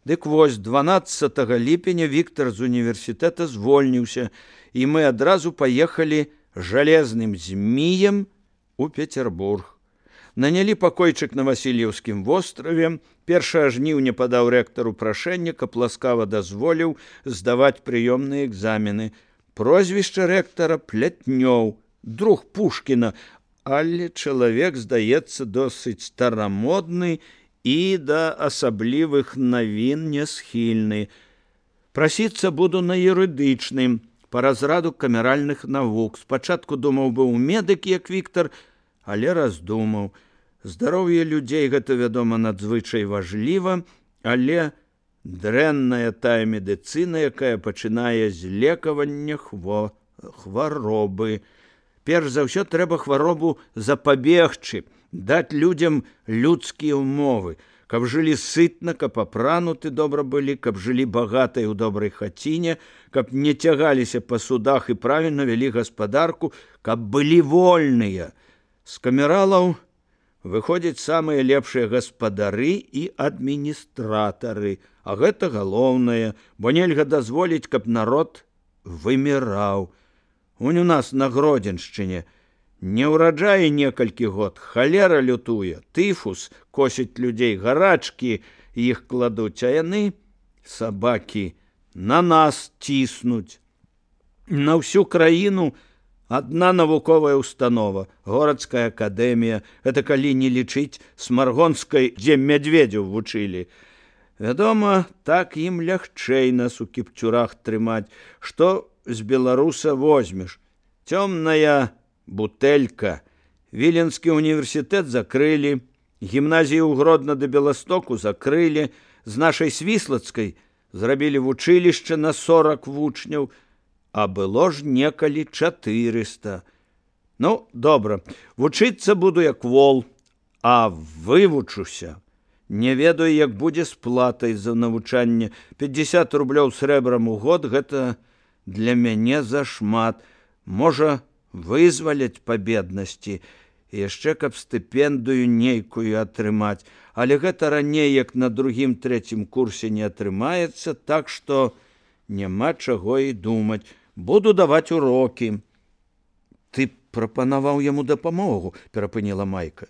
Дык вось 12 ліпеня Віктор з універсітэта звольніўся, і мы адразу паехалі жалезным зміем у Петербург. Нанялі пакойчык на Васильеўскім востраве. 1 жніўня падаў рэктару прашэнне, каб ласкава дазволіў здаваць прыёмныя экзамены. Прозвішча рэктара Плятнёў, друг Пушкіна, але чалавек, здаецца, досыць старамодны і да асаблівых навін не схільны. Прасіцца буду на юрыдычным, па разраду камеральных навук. Спачатку думаў быў медык, як Віктор, але раздумаў. Здароўе людзей гэта, вядома, надзвычай важліва, але дрэнная тая медыцына, якая пачынае з лекавання хваробы. Перш за ўсё трэба хваробу запабегчы, даць людзям людскія ўмовы, каб жылі сытна, каб апрануты добра былі, каб жылі багатай у добрай хаціне, каб не цягаліся па судах і правільна вялі гаспадарку, каб былі вольныя. З камералаў выходзяць самыя лепшыя гаспадары і адміністратары, а гэта галоўнае, бо нельга дазволіць, каб народ выміраў. Унь у нас на Гродзеншчыне не ўраджае некалькі год, халера лютуе, тыфус косіць людзей, гарачкі іх кладуць, а яны, сабакі, на нас ціснуць. На ўсю краіну адна навуковая установа, городская акадэмія, это калі не лічыць Смаргонскай, дзе мядзведзяў вучылі. Вядома, так ім лягчэй нас у кіпцюрах трымаць. Што з беларуса возьмеш? Цёмная бутэлька. Віленскі універсітэт закрылі, гімназію ў Гродна да Беластоку закрылі, з нашай Свіслацкай зрабілі вучылішча на 40 вучняў, а было ж некалі 400. Ну, добра, вучыцца буду як вол, а вывучуся. Не ведаю, як будзе з платай за навучанне. 50 рублёў срэбрам у год, гэта для мяне зашмат. Можа, вызваляць па беднасці, яшчэ каб стыпендыю нейкую атрымаць. Але гэта раней, як на 2-3 курсе не атрымаецца, так што няма чаго і думаць. Буду даваць урокі. Ты прапанаваў яму дапамогу, перапыніла Майка.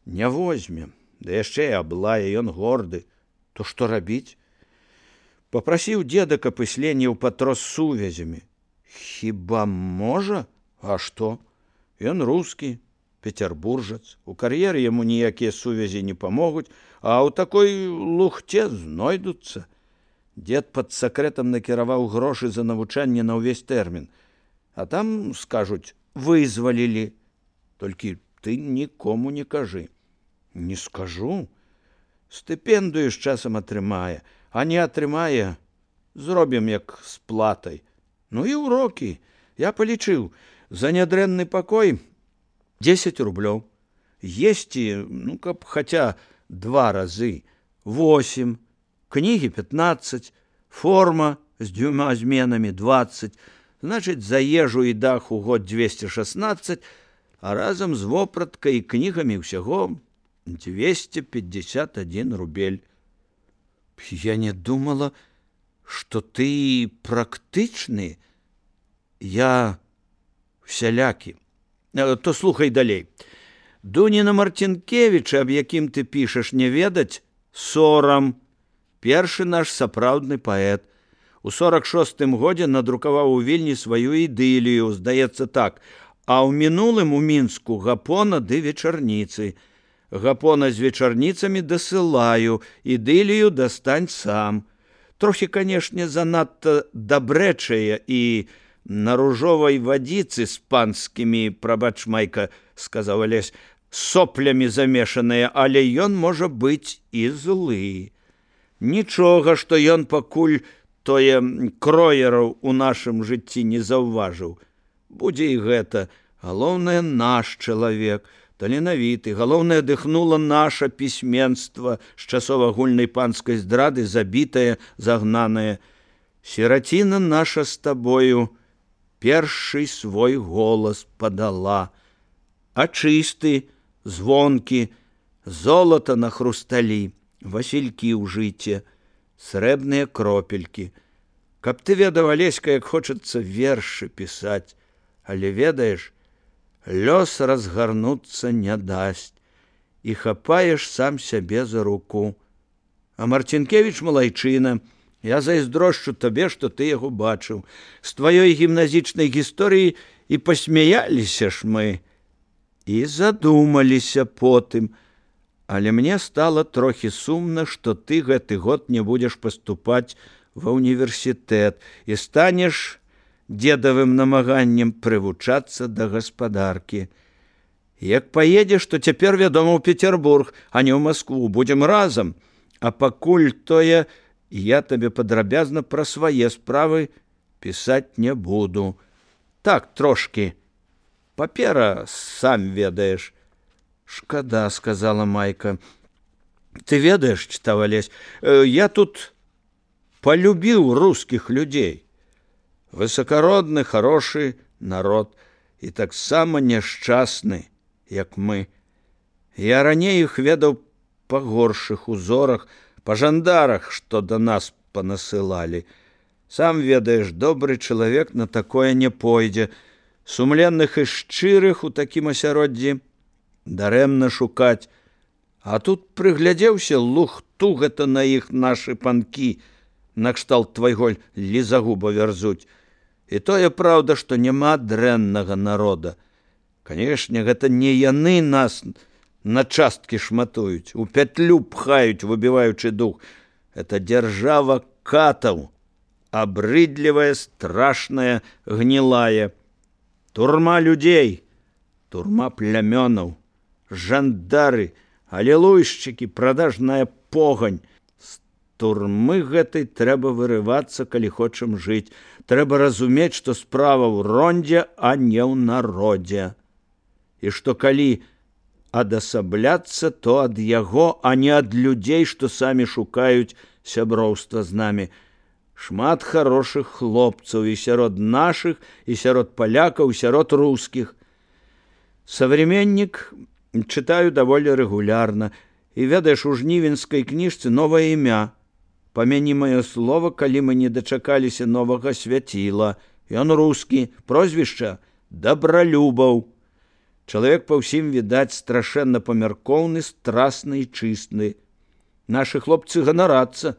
Не возьме, да яшчэ і аблае, ён горды. То што рабіць? Папрасіў деда, каб ісленіў патрос сувязямі. Хіба можа? А што? Ён рускі, петербуржац. У кар'еры яму ніякія сувязі не памогуць, а ў такой лухце знойдуцца. Дед пад сакрэтам накіраваў грошы за навучанне на ўвесь тэрмін. А там, скажуць, вызвалілі. Толькі ты нікому не кажы. Не скажу. Стыпендыю з часам атрымае, а не атрымае, зробім як з платай. Ну і урокі. Я палічыў, за нядрэнны пакой 10 рублёў. Есці, ну, каб хаця 2 разы, 8, кнігі 15, форма з 2 зменамі 20, значыць, за ежу і дах у год 216, а разам з вопраткай і кнігамі ўсяго 251 рубель. Я не думала, што ты практычны. Я всялякі. То слухай далей. Дуніна Марцінкевіча, аб якім ты пішаш, не ведаць, сорам. Першы наш сапраўдны паэт. У 46-м годзе надрукаваў у Вільні сваю ідылію, здаецца так, а ў мінулым у Мінску гапона ды вечарніцы. Гапона з вечарніцамі дасылаю, ідылію дастань сам. Трохі, канешне, занадта дабрэчая і на ружовай вадзіцы з панскімі, прабач, Майка, сказаў Алесь, соплямі замешаныя, але ён можа быць і злы. Нічога, што ён пакуль тое кроераў у нашым жыцці не заўважыў. Будзе і гэта. Галоўнае, наш чалавек, таленавіты. Галоўнае, дыхнула наша пісьменства з часоў агульнай панскай здрады, забітае, загнанае. Сіраціна наша з табою першы свой голас падала. А чысты, звонкі, золата на хрусталі, васількі ў жыце. срэбныя кропелькі. Каб ты ведаў, Алеська, як хочацца вершы пісаць, але ведаеш, лёс разгарнуцца не дасць, і хапаеш сам сябе за руку. А Марцінкевіч малайчына, я зайздрошчу табе, што ты яго бачыў. З тваёй гімназічнай гісторыі і пасмяяліся ж мы, і задумаліся потым. Але мне стала трохі сумна, што ты гэты год не будзеш паступаць ва ўніверсітэт і станеш дзедавым намаганнем прывучацца да гаспадаркі. Як паедзеш, то цяпер, вядома, у Петербург, а не ў Маскву. Будзем разам. А пакуль тое, я табе падрабязна пра свае справы пісаць не буду. Так, трошкі. Папера, сам ведаеш. Шкада, сказала Майка. Ты ведаеш, чытаў Алесь, я тут полюбіў рускіх людзей. Высокародны, хорошы народ і таксама няшчасны, як мы. Я раней іх ведаў па горшых узорах, па жандарах, што да нас панасылалі. Сам ведаеш, добры чалавек на такое не пойдзе. Сумленных і шчырых у такім асяроддзі дарэмна шукаць. А тут прыглядзеўся, лухту гэта на іх нашы панкі, накшталт твайго лізагуба вярзуць. І тое праўда, што няма дрэннага народа. Канешне, гэта не яны нас на часткі шматуюць, у пятлю пхаюць, выбіваючы дух. Это дзяржава катаў, абрыдлівая, страшная, гнілая. Турма людзей, турма плямёнаў, жандары, алелуйшчыкі, прадажная погань. З турмы гэтай трэба вырывацца, калі хочам жыць. Трэба разумець, што справа ў рондзе, а не ў народзе. І што калі адасабляцца, то ад яго, а не ад людзей, што самі шукаюць сяброўства з намі. Шмат хорошых хлопцаў і сярод нашых, і сярод палякаў, і сярод рускіх. Современнік чытаю даволі рэгулярна. І ведаеш, у жнівенскай кніжцы новае імя. Памяні маё слова, калі мы не дачакаліся новага свяціла. Ён рускі, прозвішча Добролюбаў. Чалавек па ўсім, відаць, страшэнна памяркоўны, страсны і чыстны. Нашы хлопцы ганарацца.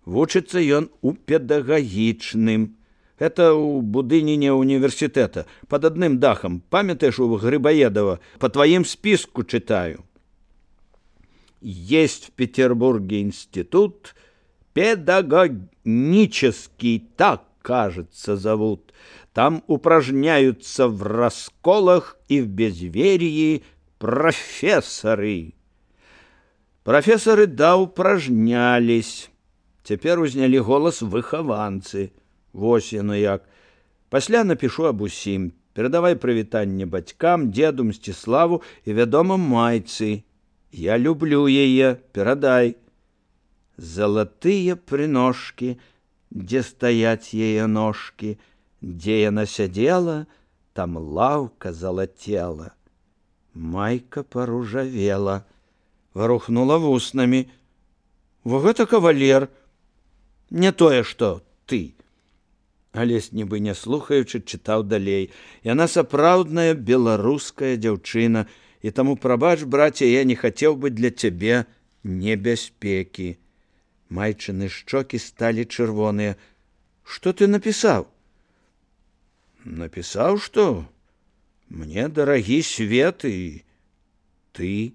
Вучыцца ён у педагагічным. Это у будыніне універсітэта, пад адным дахам. Памятаеш, у Грыбаедова, по твоим списку читаю. Есть в Петербурге институт педагогический, так, кажется, зовут. Там упражняются в расколах и в безверии профессоры. Профессоры, да, упражнялись. Теперь узнялі голас выхаванцы. Вось яно як. Пасля напишу аб усім. Перадавай прывітанне бацькам, дзеду Мсціславу і, вядома, майцы. Я люблю яе, перадай. Залатыя прыножкі, дзе стаяць яе ножкі, дзе яна сядзела, там лаўка залацела. Майка паружавела, варухнула вуснамі. Во гэта кавалер, не тое, што ты. Алесь, нібы не слухаючы, чытаў далей. Яна сапраўдная беларуская дзяўчына, і таму, прабач, браце, я не хацеў бы для цябе небяспекі. Майчыны шчокі сталі чырвоныя. Што ты напісаў? Напісаў, што мне дарагі свет і ты.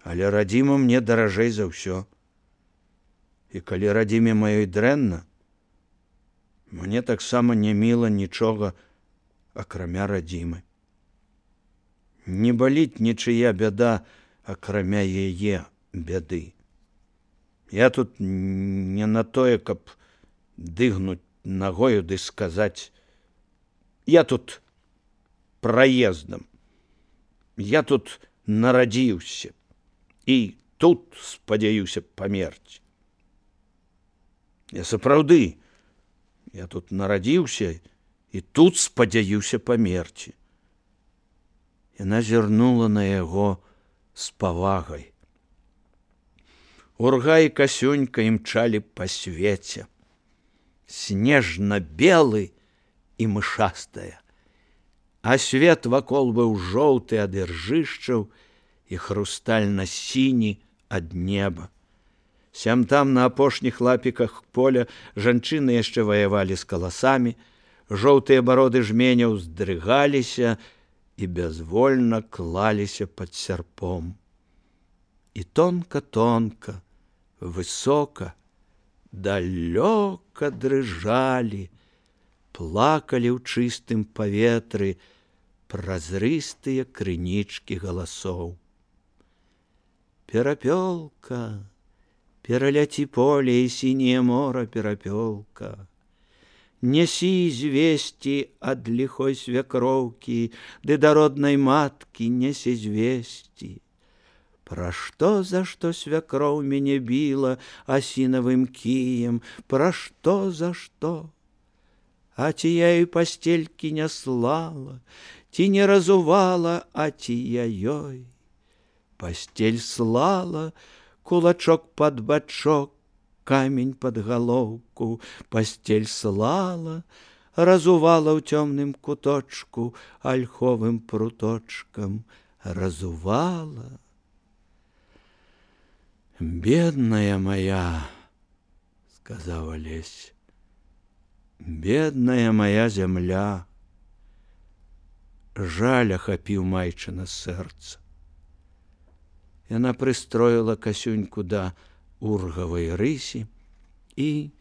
Але радзіма мне даражэй за ўсё. І калі радзіме маёй дрэнна, мне таксама не міла нічога, акрамя радзімы. Не баліць нічыя бяда, акрамя яе бяды. Я тут не на тое, каб дыгнуць нагою ды сказаць. Я тут праездам. Я тут нарадзіўся. І тут спадзяюся памерці. Я сапраўды, я тут нарадзіўся і тут спадзяюся памерці. Яна зірнула на яго з павагай. Урга і Касюнька імчалі па свеце. Снежна-белы і мышастая. А свет вакол быў жоўты ад іржышчаў і хрустальна-сіні ад неба. Сям-там на апошніх лапіках поля жанчыны яшчэ ваявалі з каласамі, жоўтыя бароды жменяў здрыгаліся і бязвольна клаліся пад сярпом. І тонка-тонка, высока, далёка дрыжалі, плакалі ў чыстым паветры празрыстыя крынічкі галасоў. Перапёлка, пераляці поле і сіняе мора, перапёлка. Нясі звесці ад ліхой свякроўкі, ды да роднай маткі нясі звесці. Пра што, за што свякроў мяне біла асінавым кіем, пра што, за што? А ці я ёй пастелькі не слала, ці не разувала, а ці я ёй? Пастель слала, кулачок пад бачок, камень пад галоўку, пастель слала, разувала ў цёмным куточку альховым пруточкам, разувала. «Бедная моя, — сказала Лесь, — бедная моя земля!» Жаль ахапіў майчына сэрца. Яна прыстроіла Касюньку да ургавай рысі і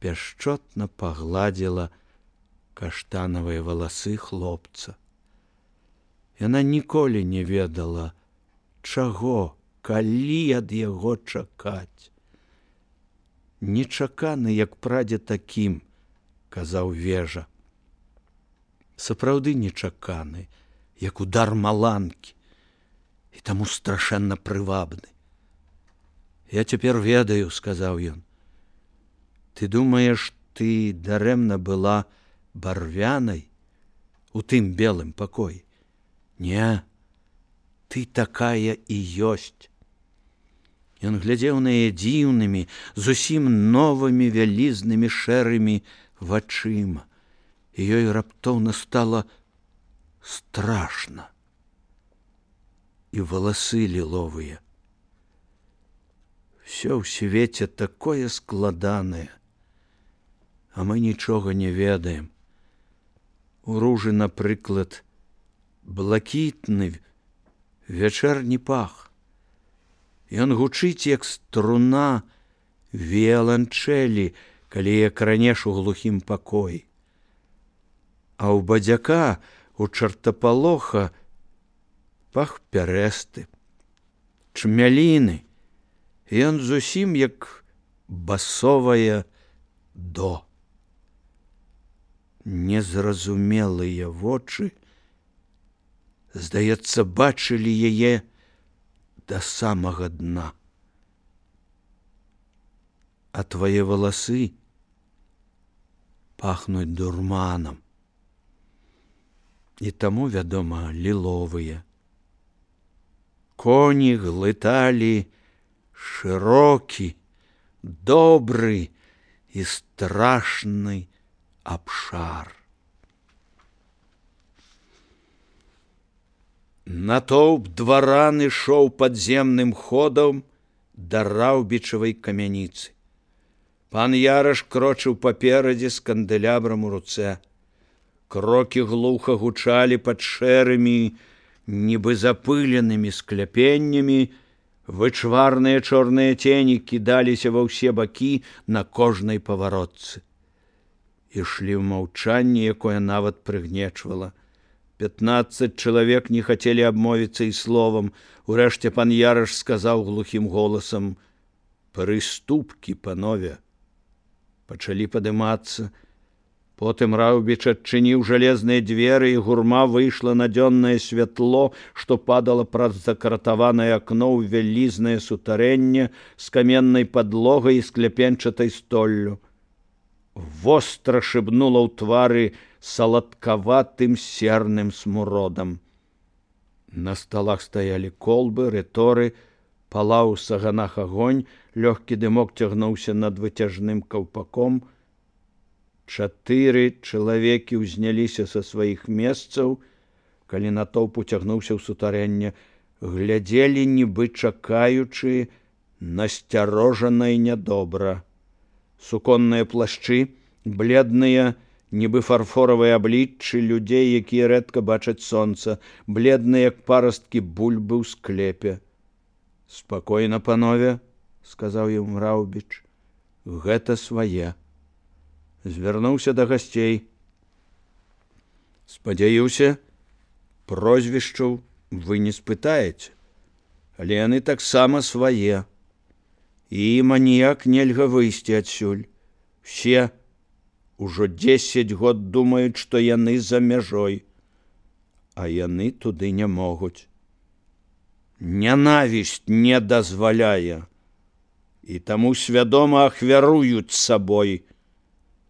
пяшчотна пагладзіла каштанавыя валасы хлопца. Яна ніколі не ведала, чаго, калі ад яго чакаць. «Нечаканы, як прадзе такім, — казаў Вежа. Сапраўды нечаканы, як удар маланкі, і таму страшэнна прывабны. Я цяпер ведаю, — сказаў ён. Ты думаеш, ты дарэмна была барвянай у тым белым пакоі? Не, ты такая і ёсць. Ён глядзеў на яе дзіўнымі, зусім новымі вялізнымі шэрымі вачыма, і ёй раптоўна стала страшна. І валасы ліловыя. Всё ў свеце такое складанае, а мы нічога не ведаем. У ружы, напрыклад, блакітны вячэрні пах. Ён гучыць, як струна віяланчэлі, калі як ранеш у глухім пакоі. А ў бадзяка, у чартапалоха, пах пярэсты, чмяліны, і ён зусім як басовае до. Незразумелыя вочы, здаецца, бачылі яе да самага дна. А твае валасы пахнуць дурманам. І таму, вядома, ліловыя. Коні глыталі шырокі, добры і страшны абшар. Натоўп дваран ішоў падземным ходам да раўбічавай камяніцы. Пан Яраш крочыў паперадзе з кандэлябрам у руцэ. Крокі глуха гучалі пад шэрымі, нібы запыленымі скляпеннямі, вычварныя чорныя цені кідаліся ва ўсе бакі на кожнай паваротцы. Ішлі ў маўчанні, якое нават прыгнечвала. 15 чалавек не хацелі абмовіцца і словам. Урэшце пан Яраш сказаў глухім голасам: «Прыступкі, панове!» Пачалі падымацца. Потым Раўбіч адчыніў жалезныя дзверы, і гурма выйшла на дзённае святло, што падала праз закратаванае акно ў вялізнае сутарэнне з каменнай падлогай і скляпенчатай столлю. Востра шыбнула ў твары саладкаватым серным смуродам. На сталах стаялі колбы, рыторы, Палаў у саганах агонь, лёгкі дымок цягнуўся над выцяжным каўпаком. 4 чалавекі ўзняліся са сваіх месцаў, калі натоўп уцягнуўся ў сутарэнне, глядзелі, нібы чакаючы, насцярожана і нядобра. Суконныя плашчы, бледныя, нібы фарфоравыя абліччы людзей, якія рэдка бачаць сонца, бледныя, як парасткі бульбы ў склепе. «Спакойна, панове», — сказаў ім Раўбіч, — «гэта свае». Звярнуўся да гасцей. «Спадзяюся, прозвішчаў вы не спытаеце, але яны таксама свае. І ім аніяк нельга выйсці адсюль. Все ужо 10 год думаюць, што яны за мяжой, а яны туды не могуць. Нянавісць не дазваляе, і таму свядома ахвяруюць сабой,